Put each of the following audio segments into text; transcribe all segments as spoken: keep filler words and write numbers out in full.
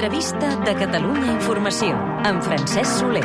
L'entrevista de Catalunya Informació, amb Francesc Soler.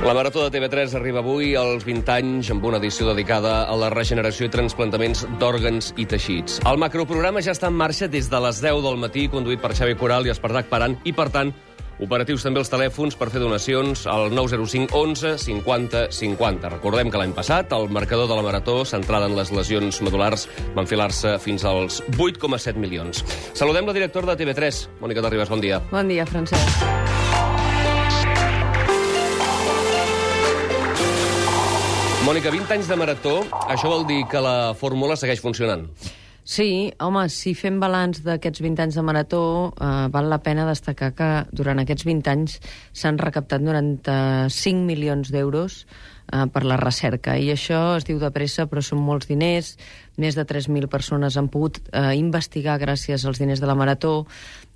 La Marató de T V tres arriba avui als vint anys amb una edició dedicada a la regeneració i transplantaments d'òrgans i teixits. El macroprograma ja està en marxa des de les deu del matí, conduït per Xavi Coral i Espartac Paran, i, per tant, operatius també els telèfons per fer donacions al nou zero cinc onze cinquanta cinquanta. Recordem que l'any passat el marcador de la Marató, centrada en les lesions medul·lars, va enfilar-se fins als vuit coma set milions. Saludem la directora de T V tres, Mònica Terribas, bon dia. Bon dia, Francesc. Mònica, vint anys de Marató, això vol dir que la fórmula segueix funcionant? Sí, home, si fem balanç d'aquests vint anys de Marató, eh, val la pena destacar que durant aquests vint anys s'han recaptat noranta-cinc milions d'euros eh, per la recerca. I això es diu de pressa, però són molts diners. Més de tres mil persones han pogut eh, investigar gràcies als diners de la Marató.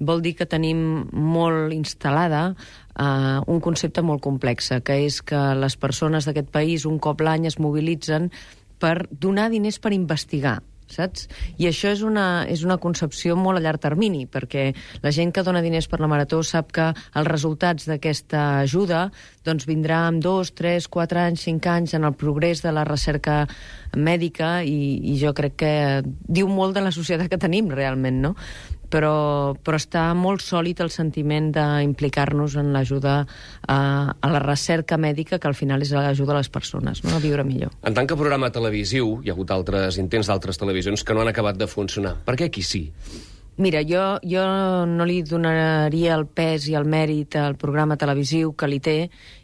Vol dir que tenim molt instal·lada eh, un concepte molt complex, que és que les persones d'aquest país un cop l'any es mobilitzen per donar diners per investigar, saps? I això és una, és una concepció molt a llarg termini, perquè la gent que dona diners per la Marató sap que els resultats d'aquesta ajuda doncs vindrà amb dos, tres, quatre anys, cinc anys en el progrés de la recerca mèdica, i, i jo crec que diu molt de la societat que tenim realment, no? Però, però està molt sòlid el sentiment d'implicar-nos en l'ajuda a, a la recerca mèdica, que al final és l'ajuda a les persones, no? A viure millor. En tant que programa televisiu, hi ha hagut altres intents d'altres televisions que no han acabat de funcionar. Per què aquí sí? Mira, jo, jo no li donaria el pes i el mèrit al programa televisiu que li té,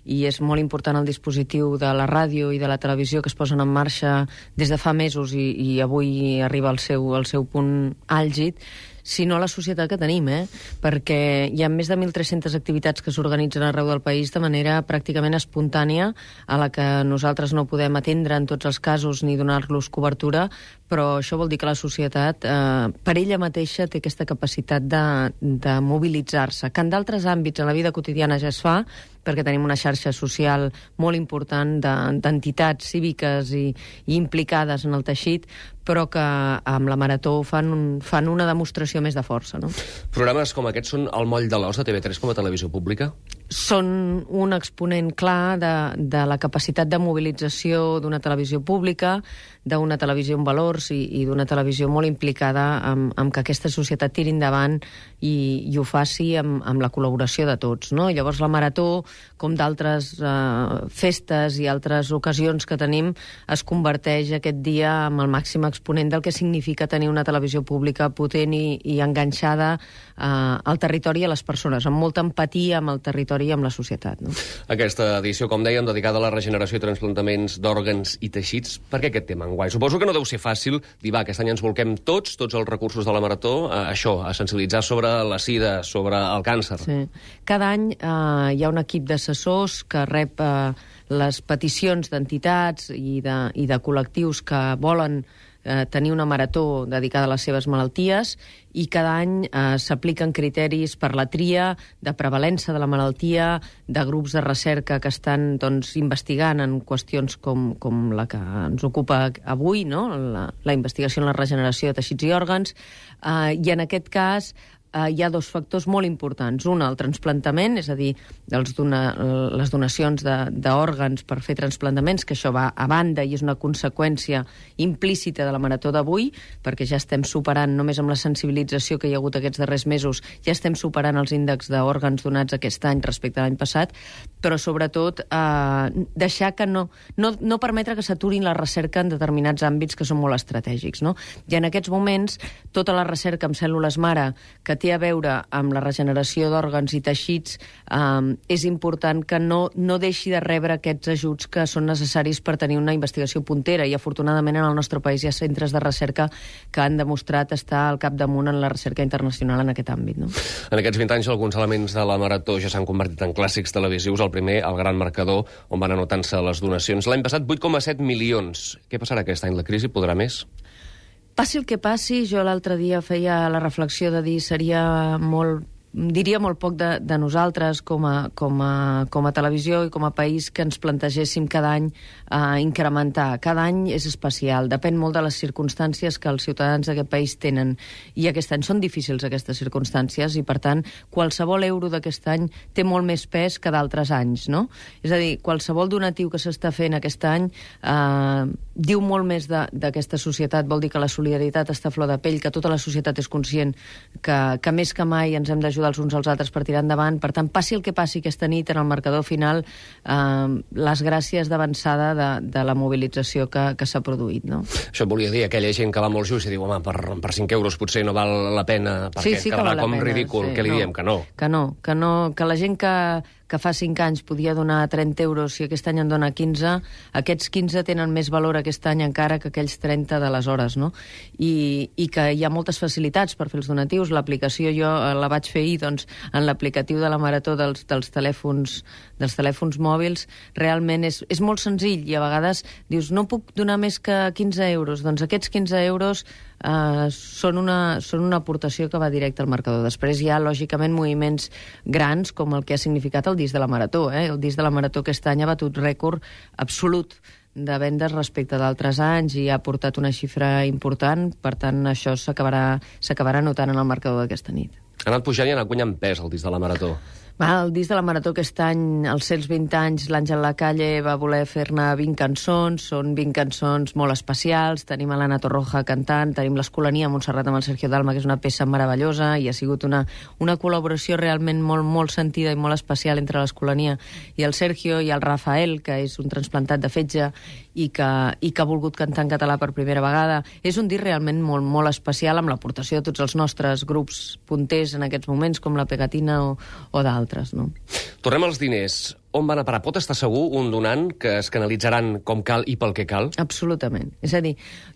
i és molt important el dispositiu de la ràdio i de la televisió que es posen en marxa des de fa mesos i, i avui arriba al seu, al seu punt àlgid, sinó la societat que tenim, eh? Perquè hi ha més de mil tres-centes activitats que s'organitzen arreu del país de manera pràcticament espontània, a la que nosaltres no podem atendre en tots els casos ni donar-los cobertura, però això vol dir que la societat, eh, per ella mateixa, té aquesta capacitat de, de mobilitzar-se, que en d'altres àmbits en la vida quotidiana ja es fa, perquè tenim una xarxa social molt important d'entitats cíviques i, i implicades en el teixit, però que amb la Marató fan, un, fan una demostració més de força, no? Programes com aquests són el moll de l'os de T V tres com a televisió pública? Són un exponent clar de, de la capacitat de mobilització d'una televisió pública, d'una televisió amb valors i, i d'una televisió molt implicada amb, amb que aquesta societat tiri endavant i, i ho faci amb, amb la col·laboració de tots, no? Llavors la Marató, com d'altres eh, festes i altres ocasions que tenim, es converteix aquest dia en el màxim exponent del que significa tenir una televisió pública potent i, i enganxada eh, al territori i a les persones, amb molta empatia amb el territori i amb la societat, no? Aquesta edició, com dèiem, dedicada a la regeneració i transplantaments d'òrgans i teixits. Per què aquest tema enguany? Suposo que no deu ser fàcil dir, va, aquest any ens volquem tots, tots els recursos de la Marató, a això, a sensibilitzar sobre la sida, sobre el càncer. Sí. Cada any eh, hi ha un equip d'assessors que rep eh, les peticions d'entitats i de, i de col·lectius que volen eh, tenir una marató dedicada a les seves malalties, i cada any eh, s'apliquen criteris per la tria, de prevalença de la malaltia, de grups de recerca que estan doncs, investigant en qüestions com, com la que ens ocupa avui, no? la, la investigació en la regeneració de teixits i òrgans, eh, i en aquest cas Uh, hi ha dos factors molt importants. Un, el transplantament, és a dir, els dona, les donacions d'òrgans per fer transplantaments, que això va a banda i és una conseqüència implícita de la Marató d'avui, perquè ja estem superant, només amb la sensibilització que hi ha hagut aquests darrers mesos, ja estem superant els índexs d'òrgans donats aquest any respecte a l'any passat, però sobretot eh, deixar que no, no, no permetre que s'aturin la recerca en determinats àmbits que són molt estratègics, no? I en aquests moments, tota la recerca amb cèl·lules mare que té a veure amb la regeneració d'òrgans i teixits, eh, és important que no, no deixi de rebre aquests ajuts que són necessaris per tenir una investigació puntera, i afortunadament en el nostre país hi ha centres de recerca que han demostrat estar al capdamunt en la recerca internacional en aquest àmbit, no? En aquests vint anys alguns elements de la Marató ja s'han convertit en clàssics televisius. El primer, el gran marcador, on van anotant-se les donacions. L'any passat vuit coma set milions. Què passarà aquest any? La crisi podrà més? Passi el que passi, jo l'altre dia feia la reflexió de dir seria molt diria molt poc de, de nosaltres com a, com, a, com a televisió i com a país que ens plantegéssim cada any uh, incrementar. Cada any és especial, depèn molt de les circumstàncies que els ciutadans d'aquest país tenen. I aquest any són difícils aquestes circumstàncies i, per tant, qualsevol euro d'aquest any té molt més pes que d'altres anys, no? És a dir, qualsevol donatiu que s'està fent aquest any eh, diu molt més d'aquesta societat, vol dir que la solidaritat està a flor de pell, que tota la societat és conscient que, que més que mai ens hem d'ajudar els uns als altres per tirar endavant. Per tant, passi el que passi aquesta nit en el marcador final, eh, les gràcies d'avançada de, de la mobilització que, que s'ha produït, no? Això volia dir, aquella gent que va molt just i diu, home, per, per cinc euros potser no val la pena, perquè sí, sí quedarà com pena, ridícul. Sí, Què li no, diem? Que no. Que no, que no, que la gent que, que fa cinc anys podia donar trenta euros i aquest any en dona quinze, aquests quinze tenen més valor aquest any encara que aquells trenta d'aleshores, no? I, i que hi ha moltes facilitats per fer els donatius. L'aplicació jo la vaig fer ahir, doncs, en l'aplicatiu de la Marató dels, dels, telèfons, dels telèfons mòbils, realment és, és molt senzill i a vegades dius, no puc donar més que quinze euros. Doncs aquests quinze euros Uh, són, una, són una aportació que va directe al marcador. Després hi ha, lògicament, moviments grans, com el que ha significat el disc de la Marató. Eh? El disc de la Marató aquest any ha batut rècord absolut de vendes respecte d'altres anys i ha portat una xifra important, per tant, això s'acabarà notant en el marcador d'aquesta nit. Ha anat pujant i ha anat guanyant pes el disc de la Marató. Va, el disc de la Marató aquest any, als cent vint anys, l'Àngel Lacalle va voler fer-ne vint cançons, són vint cançons molt especials, tenim a l'Anna Torroja cantant, tenim l'Escolania a Montserrat amb el Sergio Dalma, que és una peça meravellosa, i ha sigut una, una col·laboració realment molt, molt sentida i molt especial entre l'Escolania i el Sergio, i el Rafael, que és un transplantat de fetge i que, i que ha volgut cantar en català per primera vegada. És un disc realment molt, molt especial, amb l'aportació de tots els nostres grups punters en aquests moments, com la Pegatina o, o d'altres, no? Tornem als diners. On van a parar? Pot estar segur un donant que es canalitzaran com cal i pel que cal? Absolutament. És a dir,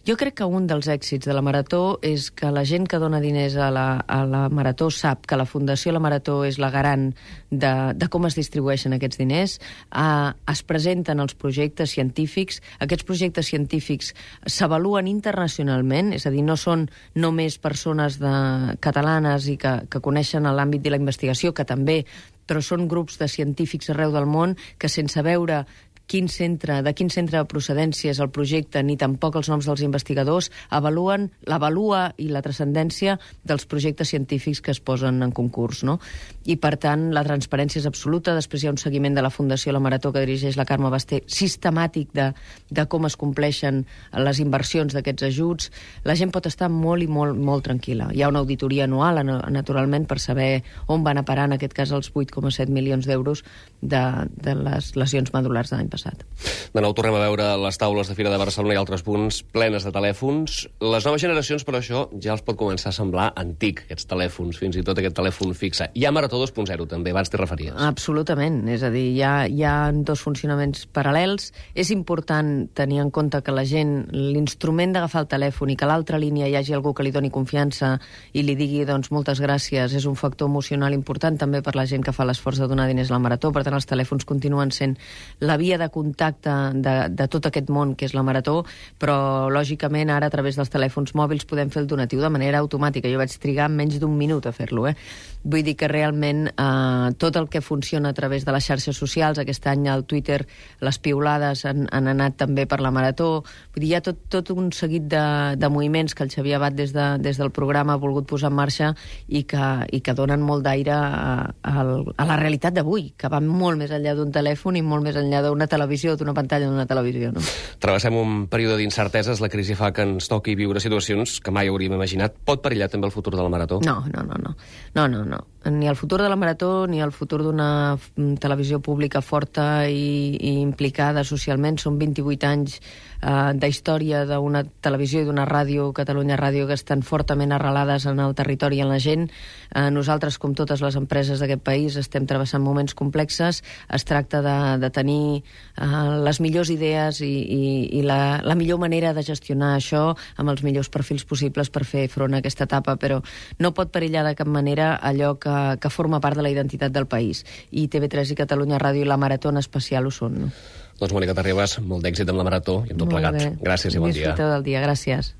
jo crec que un dels èxits de la Marató és que la gent que dona diners a la, a la Marató sap que la Fundació La Marató és la garant de, de com es distribueixen aquests diners, eh, es presenten els projectes científics, aquests projectes científics s'avaluen internacionalment, és a dir, no són només persones de, catalanes i que, que coneixen l'àmbit de la investigació, que també, però són grups de científics arreu del món que, sense veure quin centre, de quin centre de procedència és el projecte, ni tampoc els noms dels investigadors, avaluen l'avalua i la transcendència dels projectes científics que es posen en concurs, no? I, per tant, la transparència és absoluta. Després hi ha un seguiment de la Fundació La Marató que dirigeix la Carme Basté, sistemàtic de, de com es compleixen les inversions d'aquests ajuts. La gent pot estar molt i molt, molt tranquil·la. Hi ha una auditoria anual, naturalment, per saber on van a parar, en aquest cas, els vuit coma set milions d'euros de, de les lesions medul·lars de l'any passat. De nou tornem a veure les taules de Fira de Barcelona i altres punts plenes de telèfons. Les noves generacions, però, això ja els pot començar a semblar antic, aquests telèfons, fins i tot aquest telèfon fixe. Hi ha Marató dos punt zero, també, abans t'hi referies. Absolutament, és a dir, hi ha, hi ha dos funcionaments paral·lels. És important tenir en compte que la gent, l'instrument d'agafar el telèfon i que a l'altra línia hi hagi algú que li doni confiança i li digui, doncs, moltes gràcies, és un factor emocional important també per la gent que fa l'esforç de donar diners a la Marató. Per tant, els telèfons continuen sent la via de contacte de, de tot aquest món que és la Marató, però lògicament ara a través dels telèfons mòbils podem fer el donatiu de manera automàtica. Jo vaig trigar menys d'un minut a fer-lo, eh? Vull dir que realment eh, tot el que funciona a través de les xarxes socials, aquest any al Twitter les piulades han, han anat també per la Marató, vull dir, hi ha tot, tot un seguit de, de moviments que el Xavier Abad des, de, des del programa ha volgut posar en marxa i que, i que donen molt d'aire a, a, a la realitat d'avui, que va molt més enllà d'un telèfon i molt més enllà d'una televisió, d'una pantalla d'una televisió, no? Travessem un període d'incerteses, la crisi fa que ens toqui viure situacions que mai hauríem imaginat. Pot perillar també el futur de la Marató? No, no, no, no. No, no, no. Ni el futur de la Marató ni el futur d'una televisió pública forta i, i implicada socialment. Són vint-i-vuit anys eh, d'història d'una televisió i d'una ràdio, Catalunya Ràdio, que estan fortament arrelades en el territori i en la gent. Eh, nosaltres, com totes les empreses d'aquest país, estem travessant moments complexes. Es tracta de, de tenir eh, les millors idees i, i, i la, la millor manera de gestionar això amb els millors perfils possibles per fer front a aquesta etapa, però no pot perillar de cap manera allò que, que forma part de la identitat del país. I T V tres i Catalunya Ràdio i la Marató en especial ho són, no? Doncs, Mònica Terribas, molt d'èxit amb la Marató i amb tot plegat. Gràcies i bon dia. Disfruteu del dia, gràcies.